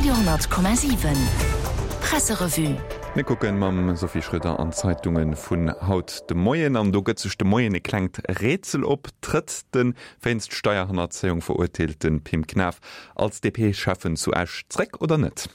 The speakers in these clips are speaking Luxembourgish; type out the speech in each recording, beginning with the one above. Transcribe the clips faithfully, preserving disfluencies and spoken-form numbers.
Radio honnert Komma siwen Presserevue. Mir kucken mam Sophie Schröder an d'Zeitunge vun haut de Moien an do gëtt sech de Moien e klengt Rätsel op, Trëtt de wéinst Steierhannerzéiung verurteelte Pim Knaff als D P-Schäffen zu Esch zréck oder net?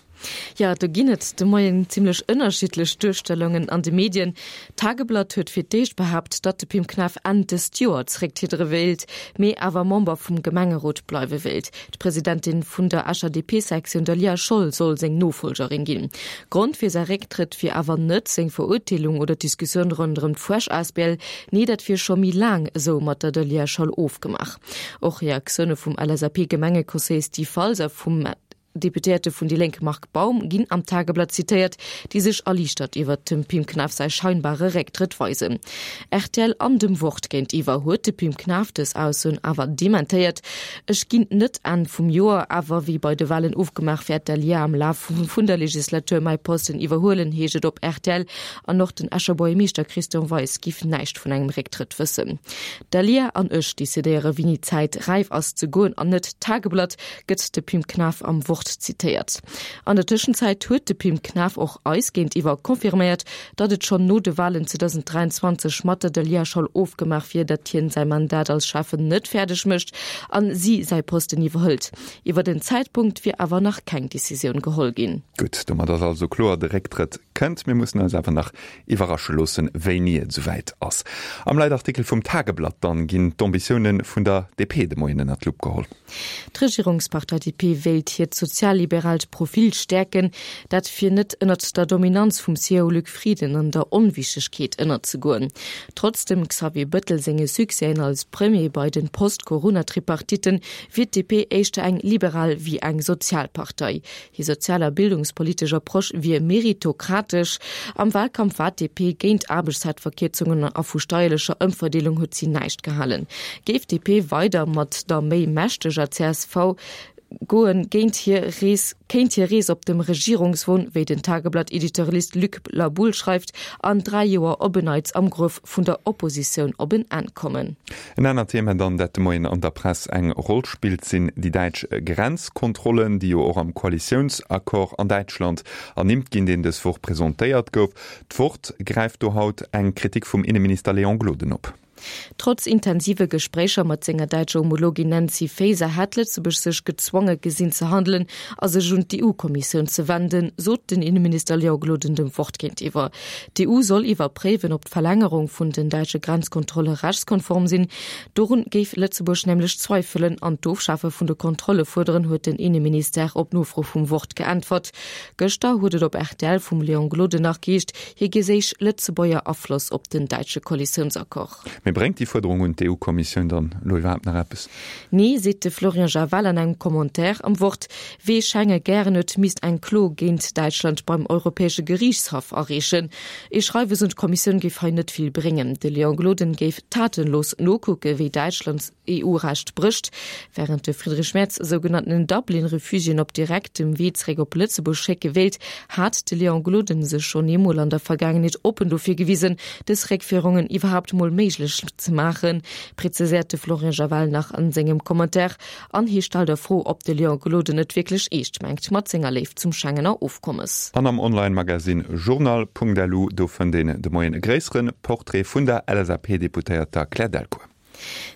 Jo, do ginn et de Moien zimlech ënnerschiddlech Duerstellungen an de Medien. D'Tageblatt huet fir d'éischt behaapt, datt de Pim Knaff Enn dëst Joer zerécktriede wéilt, mee awer Member vum Gemengerot bleiwe wéilt. D'Presidentin vun der Escher D P-Sektioun Daliah Scholl soll seng Nofollgerin ginn. Grond fir säi Récktrëtt wier awer net seng Verurteelung oder d'Diskussioun ronderëm d'Fuersch A S B L, nee dat wier scho méi laang esou mat der Daliah Scholl ofgemaach. Och Reaktioune vum L S A P-Gemengeconseiller Steve Falser, vum Deputéierte vun déi Lénk Marc Baum ginn am Tageblatt zitéiert, déi sech erliichtert iwwer dem Pim Knaff säi scheinbare Récktrëtt weisen. R T L an dem Wort géintiwwer huet de Pim Knaff dës Aussoen awer dementéiert. Ech ginn net Enn vum Joer, awer wéi bei de Walen ofgemaach wäert d'Daliah am Laf vun der Legislatur mäi Posten iwwerhuelen, heescht et op R T L. An och den Escher Buergermeeschter Christian Weis giff näischt vun engem Récktrëtt wëssen. D'Daliah an ech decidéiere wéini d'Zäit räif ass ze goen an net d'Tageblatt, gëtt de Pim Knaff am Wort zitéiert. An der Tëschenzäit huet de Pim Knaff och eis géintiwwer confirméiert, datt et schonn no de Walen zweedausend dräianzwanzeg mat der Daliah Scholl ofgemaach wier, datt hien säi Mandat als Schäffen net fäerdeg mécht an si säi Posten iwwerhëlt. Iwwer den Zäitpunkt wier awer nach keng Decisioun geholl ginn. Gutt, domat ass also kloer, de Récktrëtt kënnt. Mir mussen eis awer nach iwwerrasche loossen, wéini et souwäit ass. Am Leitartikel vum Tageblatt dann ginn d'Ambitioune vun der D P de Moien ënnert d'Lupp geholl. D'Regierungspartei D P wéilt hiert sozialliberaalt Profil stäerken, dat fir net ënnert der Dominanz vum C E O Luc Frieden an der Onwichtegkeet ënnerzegoen. Trotz dem Xavier Bettel senge Succèsen als Premier bei den Post-Corona-Tripartitten wier d'D P éischter eng liberal wéi eng Sozialpartei. Hir sozial a bildungspolitesch Approche wier meritokratesch. Am Walkampf war d'D P géint Aarbechtszäitverkierzungen a vu steierlecher Ëmverdeelung huet si näischt gehalen. Géif d'D P weider mat der méi mächteger C S V goen, géint hir Rees kéint hir Rees op dem Regierungswon, wéi den Tageblatt-Editorialist Luc Laboulle schreift, an dräi Joer op en Neits am Gruef vun der Oppositioun op en Enn kommen. En anert Thema dann, dat de Moien an der Press eng Roll spillt, sinn déi däitsch Grenzkontrollen, déi jo och am Koalitiounsaccord an Däitschland ernimmt ginn, deen dës Woch presentéiert gouf. D'Wort gräift do haut eng Kritik vum Inneminister Léon Gloden op. Trotz intensive Gespréicher mat senger däitscher Homologin Nancy Faeser hätt Lëtzebuerg sech gezwonge gesinn ze handelen a sech un d'E U-Kommissioun ze wenden, sot den Inneminister Léon Gloden dem Wort géintiwwer. D'E U soll iwwerpréiwen, ob d'Verlängerung vun den däitsche Grenzkontrolle rechtskonform sinn. Dorun géif Lëtzebuerg nämlech zweifelen an d'Ofschafe vun de Kontrolle fuerderen, huet den Inneminister op Nofro vum Wort geäntwert. Gëschter huet et op R T L vum Léon Gloden nach geheescht, hie geséich Lëtzebuerger Afloss op den däitsche Koalitiounsaccord. Mee bréngt déi Fuerderung un d'E U-Kommissioun dann elo iwwerhaapt nach eppes? Nee, seet de Florian Javal an engem Commentaire am Wort. Wee Schenge gären huet, misst eng Klo géint Däitschland beim Europäesche Geriichtshaff areechen. E Schreiwes un d'Kommissioun géif hei net vill bréngen. De Léon Gloden géif tatenlos nokucke wéi Däitschland E U-Recht brécht. Wärend de Friedrich Merz sougenannten Dublin-Refugiéen op direktem Wee zeréck op Lëtzebuerg schécke wéilt, hat de Léon Gloden sech schonn eemol an der Vergaangenheet oppen dofir gewisen, dës Réckféierungen iwwerhaapt mol méiglech ze maachen, präziséiert de Florian Javal nach an sengem Commentaire an hie stellt a Fro, ob de Léon Gloden et wierklech eescht mengt mat senger Léift zum Schengener Ofkommes. An am Online-Magazin Journal Punkt L U, do fënnt een de Moien e gréissere Portrait vun der L S A P-Deputéierter Claire Delcourt.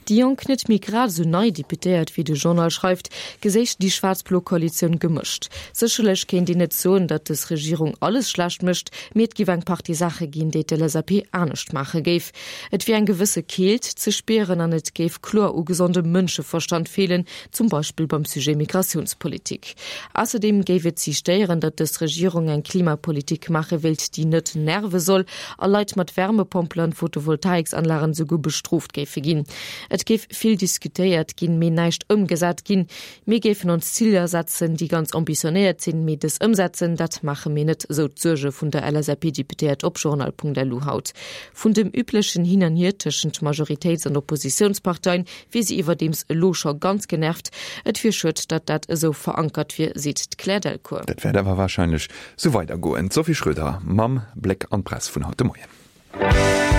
Déi jonk, net méi grad esou nei Deputéiert, wéi de Journal schreift, geséich déi schwaarz-blo Koalitioun gemëscht. Sécherlech kéint een net soen, datt dës Regierung alles schlecht mécht, mee et géif eng Partie Saache ginn, déi d'L S A P anescht maache géif. Et wier eng gewësse Keelt ze spieren an et géif kloer u gesondem Mënscheverstand feelen, zum Beispill beim Sujet Migratiounspolitik. Ausserdeem géif et si stéieren, datt dës Regierung eng Klimapolitik maache wéilt, déi net nerve soll a Leit mat Wärmepompelen an Photovoltaiksanlagen esouguer bestrooft géife ginn. Et géif vill diskutéiert ginn, mee näischt ëmgesat ginn. Mir géifen ons Ziler setzen, déi ganz ambitionéiert sinn, mee dës ëmsetzen, dat maache mir net, sou d'Suerge vun der L S A P-Deputéiert op Journal Punkt L U haut. Vun dem üblechen Hin an Hier tëschent Majoritéits- an Oppositiounsparteien wier si iwwerdeems elo scho ganz genervt. Et wier schued, datt dat esou verankert wier, seet d'Claire Delcourt. Dat wäert awer warscheinlech sou weidergoen. D'Sophie Schröder mam Bléck an d'Press vun haut de Moien.